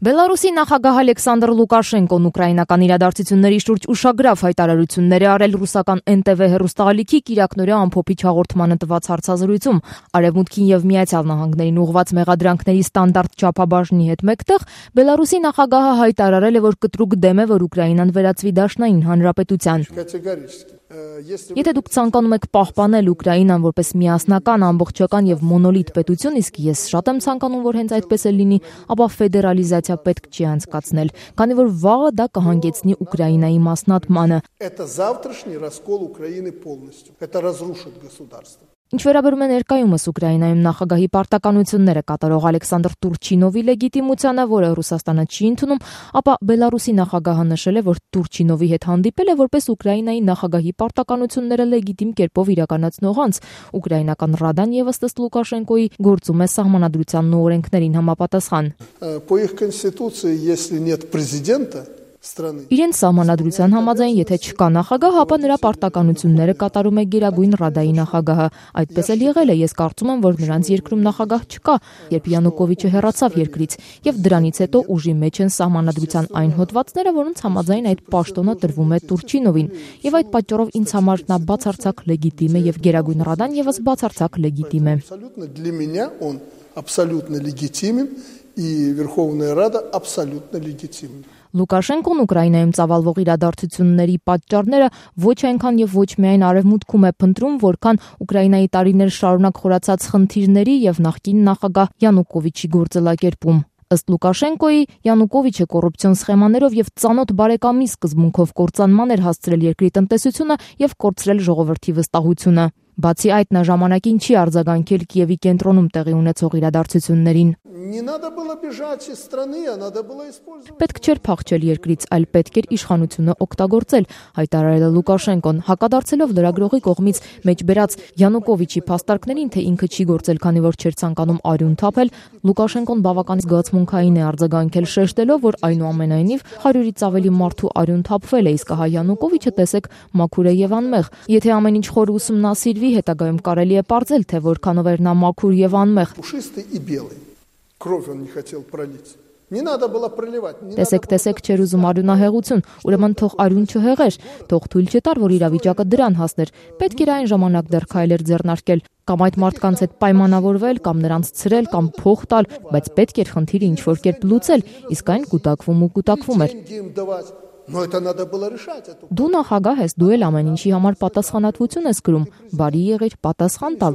Բելարուսի նախագահ Ալեքսանդր Լուկաշենկոն ուկրաինական իրադարձությունների շուրջ ուշագրավ հայտարարություններ է արել ռուսական NTV հեռուստաալիքի կիրակնօրյա ամփոփիչ հաղորդմանը տված հարցազրույցում։ Արևմուտքին եւ Միացյալ Նահանգներին ուղղված մեղադրանքների ստանդարտ չափաբաժնի հետ մեկտեղ Բելարուսի նախագահը հայտարարել է, որ կտրուկ դեմ է, որ Ուկրաինան վերածվի դաշնային հանրապետության։ Եթե դուք ցանկանում եք պահպանել Ուկրաինան որպես միասնական, ամբողջական եւ մոնոլիտ պետություն, իսկ ես շատ եմ ցանկանում, որ հենց այդպես էլ լինի, ապա ֆեդերալիզացիա պետք չի անցկացնել, քանի որ վաղը դա կհանգեցնի Ուկրաինայի մասնատմանը։ Ինչ վերաբերում է ներկայումս Ուկրաինայում նախագահի պարտականությունները կատարող Ալեքսանդր Տուրչինովի լեգիտիմությանը, որը Ռուսաստանը չի ընդունում, ապա Բելարուսի նախագահը նշել է, որ Տուրչինովի հետ հանդիպել է որպես Ուկրաինայի նախագահի պարտականությունները լեգիտիմ կերպով իրականացնող անձ։ Ուկրաինական Ռադան եւս ըստ Լուկաշենկոյի գործում է սահմանադրությանն ու օրենքներին համապատասխան։ Իրենց սահմանադրության համաձայն, եթե չկա նախագահ, ապա նրա պարտականությունները կատարում է Գերագույն Ռադայի նախագահը։ Այդպես էլ եղել է, ես կարծում եմ, որ նրանց երկրում նախագահ չկա, երբ Յանուկովիչը հեռացավ երկրից, եւ դրանից հետո ուժի մեջ են սահմանադրության այն հոդվածները, որոնց համաձայն այդ պաշտոնը տրվում է Տուրչինովին, եւ այդ պատճառով ինձ համար նա բացարձակ լեգիտիմ է եւ Գերագույն Ռադան եւս բացարձակ լեգիտիմ է։ Абсолютно легитимен, и Верховная Рада абсолютно легитимна. Լուկաշենկոն Ուկրաինայում ծավալվող իրադարձությունների պատճառները ոչ այնքան եւ ոչ միայն արևմուտքում է փնտրում, որքան Ուկրաինայի տարիներ շարունակ խորացած խնդիրների եւ նախկին նախագահ Յանուկովիչի գործելակերպում։ Ըստ Լուկաշենկոյի, Յանուկովիչը կոռուպցիոն սխեմաներով եւ ծանոթ բարեկամի սկզբունքով կործանման էր հասցրել երկրի տնտեսությունը եւ կորցրել ժողովրդի վստահությունը։ Բացի այդ, նա ժամանակին չի արձագանքել Կիևի կենտրոնում տեղի ունեցող իրադարձություններին։ Պետք չէր փախչել երկրից, այլ պետք էր իշխանությունը օգտագործել, հայտարարել է Լուկաշենկոն, հակադարձելով լրագրողի կողմից մեջբերած Յանուկովիչի փաստարկներին, թե ինքը չի գործել, քանի որ չէր ցանկանում արյուն թափել, Լուկաշենկոն բավական զգացմունքային է արձագանքել, շեշտելով, որ այնուամենայնիվ 100-ից ավելի մարդու արյուն թափվել է, իսկ հա Յանուկովիչը տեսեք մաքուր է եւ անմեղ։ Եթե ամեն ինչ խոր ուսումնասիրվի, հետագայում կարելի է պարզել, թե որքանով էր նա մաքուր եւ անմեղ։ Տեսեք չեր ուզում արյունահեղություն, ուրեմն թող արյուն չհեղեր, թող թույլ չտար, որ իրավիճակը դրան հասներ։ Պետք էր այն ժամանակ դեռ քայլեր ձեռնարկել, կամ այդ մարդկանց հետ պայմանավորվել, կամ նրանց ցրել, կամ փող տալ, բայց պետք էր խնդիրը ինչ-որ կերպ լուծել, իսկ այն կուտակվում էր։ Դու նախագահ ես, դու էլ ամեն ինչի համար պատասխանատվություն ես կրում, բարի եղիր պատասխան տալ,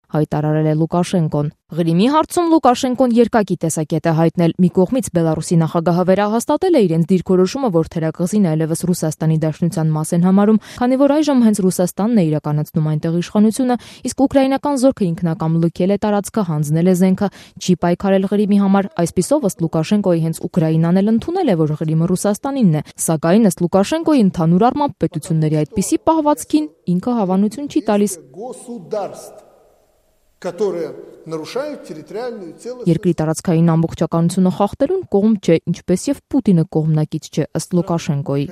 հայտարարել է Լուկաշենկոն։ Ղրիմի հարցում Լուկաշենկոն երկակի տեսակետ է հայտնել։ Մի կողմից Բելարուսի նախագահը վերահաստատել է իրենց դիրքորոշումը, որ թերակղզին այլևս Ռուսաստանի Դաշնության մաս են համարում, քանի որ այժմ հենց Ռուսաստանն է իրականացնում այնտեղ իշխանությունը, իսկ ուկրաինական զորքը ինքնակամ լքել է տարածքը, հանձնել է զենքը, չի պայքարել Ղրիմի համար։ Այսպիսով, ըստ Լուկաշենկոյի, հենց Ուկրաինան էլ ընդունել է, որ Ղրիմը Ռուսաստանինն է, սակայն ըստ Լուկաշենկոյի ընդհանուր առմամբ պետությունների այդպիսի պահվածքին ինքը հավանություն չի տալիս։ Երկրի տարածքային ամբողջականությունը խախտելուն կողմ չէ, ինչպես եւ Պուտինը կողմնակից չէ, ըստ Լուկաշենկոյի։